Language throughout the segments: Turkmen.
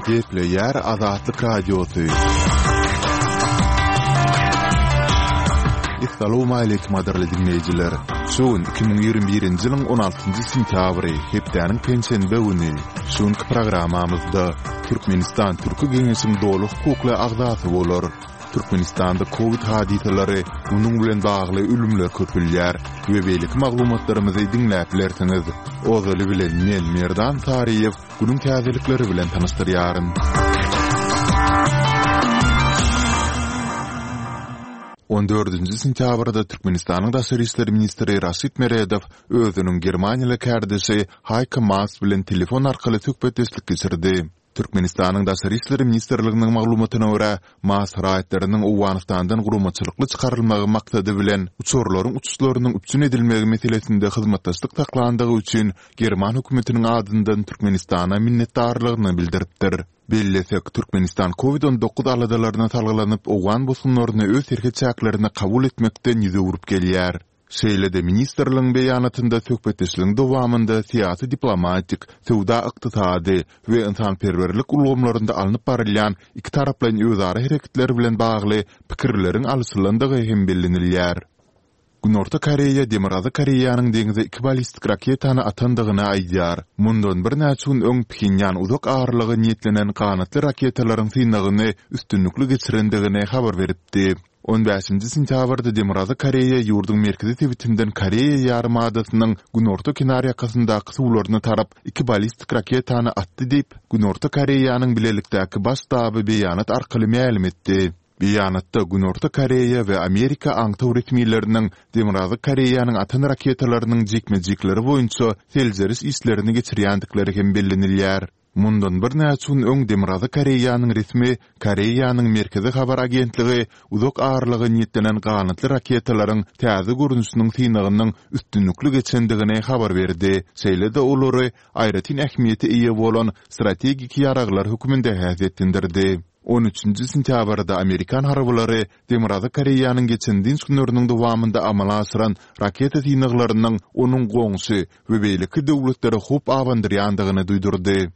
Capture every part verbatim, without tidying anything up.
Gepleýär Azatlyk Radiosy. Essalawmaleýkim gadyrly diňleýjiler! Şu gün iki müň ýigrimi birinji ýylyň on altynjy sentýabry, hepdäniň penşenbe güni. Şu günki programmamyzda Türkmenistan Türki Geňeşiň doly hukukly agzasy bolar. Türkmenistanda kowid hadysalary, munuň bilen bagly ölümler köpelýär we beýleki maglumatlarymyzy diňläp bilersiňiz. Ozaly bilen men Merdan Saryýew günüň täzelikleri bilen tanyşdyrýaryn. On dördünji sentýabrda Türkmenistanyň Daşary işler ministri Raşid Meredow özüniň germaniýaly kärdeşi Haýko Maas bilen telefon arkaly söhbetdeşlik geçirdi. Türkmenistanyň Daşary işler ministrliginiň maglumatyna görä, Maas raýatlarynyň Owganystandan guramaçylykly çykarylmagy maksady bilen uçarlaryň uçuşlarynyň üpjün edilmegi meselesinde hyzmatdaşlyk saklandygy üçin german hökümetiniň adyndan Türkmenistana minnetdarlygyny bildiripdir. Bellesek, Türkmenistan Covid on dokuz aladalaryna salgylanyp owgan bosgunlaryny öz serhet çäklerine kabul etmekden ýüz öwrüp gelýär. Şeýle-de ministrligiň beýanatynda söhbetdeşligiň dowamynda syýasy-diplomatik, söwda-ykdysady we ynsanperwerlik ulgamlarynda alnyp barylýan ikitaraplaýyn özara hereketler bilen bagly pikirleriň alyşylandygy hem bellenilýär. Günorta Koreýa Demirgazyk Koreýanyň deňze iki ballistik raketany atandygyny aýdýar. Mundan birnäçe gün öň Phenýan uzak aralyga niýetlenen ganatly raketalaryň synagyny üstünlikli geçirendigini habar beripdi. On bäşinji sentýabrda Demirgazyk Koreýa ýurduň merkezi sebitinden Koreýa ýarymadasynyň günorta kenarýakasyndaky suwlaryna tarap iki ballistik raketany atdy diýip, Günorta Koreýanyň bilelikdäki Baş ştaby beýanat arkaly mälim etdi. Beýanatda Günorta Koreýa we Amerika aňtaw resmileriniň Demirgazyk Koreýanyň atan raketalarynyň jikme-jikleri boýunça seljeriş işlerini geçirýändikleri hem bellenilýär. Mundan birnäçe gün öň Demirgazyk Koreýanyň resmi Koreýanyň Merkezi habar agentligi uzak aralyga niýetlenen ganatly raketalaryň täze görnüşiniň synagynyň üstünlikli geçendigini habar berdi, şeýle-de olary aýratyn ähmiýete eýe bolan strategik ýaraglar hökmünde häsiýetlendirdi. On üçünji sentýabrda amerikan harbylary Demirgazyk Koreýanyň geçen dynç günleriniň dowamynda amala aşyran raketa synaglarynyň onuň goňşy we beýleki döwletlere howp abandyrýandygyny duýdurdy.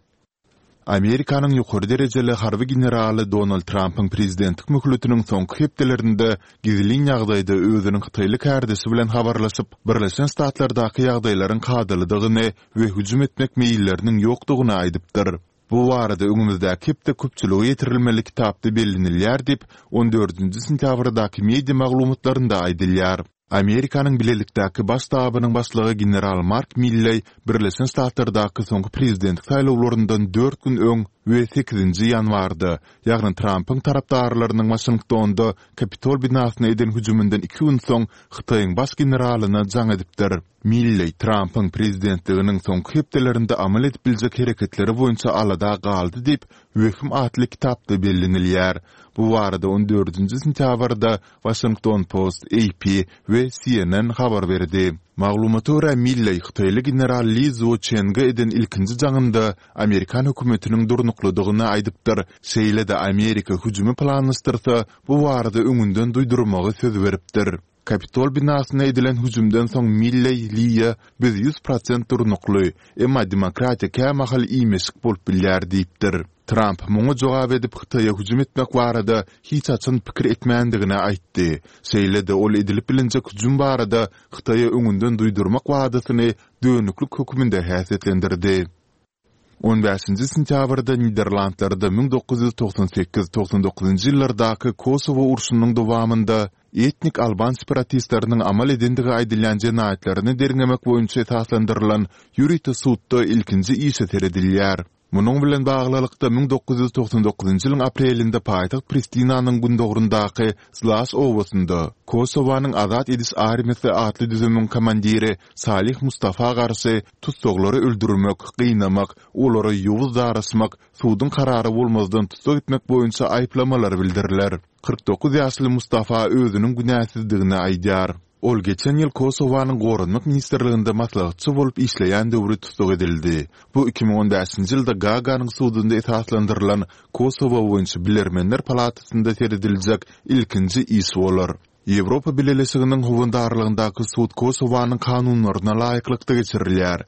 Amerikanyň ýokary derejeli harby generaly Donald Trampyň prezidentlik möhletiniň soňky hepdelerinde gizlin ýagdaýda özüniň hytaýly kärdeşi bilen habarlaşyp, Birleşen Ştatlardaky ýagdaýlaryň kadalydygyny we hüjüm etmek meýilleriniň ýokdugyny aýdypdyr. Bu barada öňümizdäki hepde köpçülige ýetirilmeli kitapda bellenilýär diýip, on dördünji sentýabrdaky media maglumatlarynda aýdylýar. Amerikanyň Bilelikdäki Baş ştabynyň başlygy general Mark Milleý Birleşen Ştatlardaky soňky prezidentlik saýlawlaryndan dört gün öň we sekizinji ýanwarda, ýagny Trampyň tarapdarlarynyň Waşingtonda Kapitol binasyna eden hüjüminden iki gün soň Hytaýyň baş generalyna jaň edipdir. Milleý Trampyň prezidentliginiň soňky hepdelerinde amal edip biljek hereketleri boýunça alada galdy diýip, Wehim atly kitapda bellenilýär. Bu barada on dördünji sentýabrda Washington Post, A P we C N N habar berdi. Maglumata görä, Milleý hytaýly general Li Zuoçenge eden ilkinji jaňynda amerikan hökümetiniň durnuklydygyny aýdypdyr, şeýle-de Amerika hüjümi planlaşdyrsa, bu barada öňünden duýdurmagy söz beripdir. Kapitol binasyna edilen hüjümden soň Milleý Liýa biz ýüz prosent durnukly, emma demokratiýa kämahal iýmeşik bolup bilýär diýipdir. Tramp muňa jogap edip Hytaýa hüjüm etmek barada hiç haçan pikir etmändigini aýtdy. Şeýle-de ol edilip bilinjek hüjüm barada Hytaýa öňünden duýdurmak wadasyny dönüklik hökmünde häsiýetlendirdi. On bäşinji sentýabrda Niderlandlarda müň dokuz ýüz togsan sekiz, togsan dokuzynjy ýyllardaky Kosowo urşunyň dowamynda etnik alban separatistleriniň amal edendigi aýdylýan jenaýatlaryny derňemek boýunça esaslandyrylan ýörite sudda ilkinji işe seredilýär. Munuň bilen baglylykda, müň dokuz ýüz togsan dokuzynjy ýylyň aprelinde paýtagt Pristinanyň gündogaryndaky Zlaş obasynda Kosowanyň Azat ediş armiýasy atly düzümiň komandiri Salih Mustafa garşy Tussaglary öldürmek, gynamak, olara ýowuz daraşmak, suduň karary bolmazdan tussag etmek boýunça aýyplamalar bildiriler. Kyrk dokuz ýaşly Mustafa özüniň günäsizdigini aýdýar. Ol geçen ýyl Kosowanyň Goranmak ministrliginde maslahatçy bolup işleýän döwri tussag edildi. Bu iki müň on bäşinji ýylda Gaaganyň sudunda esaslandyrylan Kosowo boýunça bilermenler palatasynda serediljek ilkinji iş bolar. Ýewropa Bileleşiginiň howandarlygyndaky sud Kosowanyň kanunlaryna laýyklykda geçirilýär.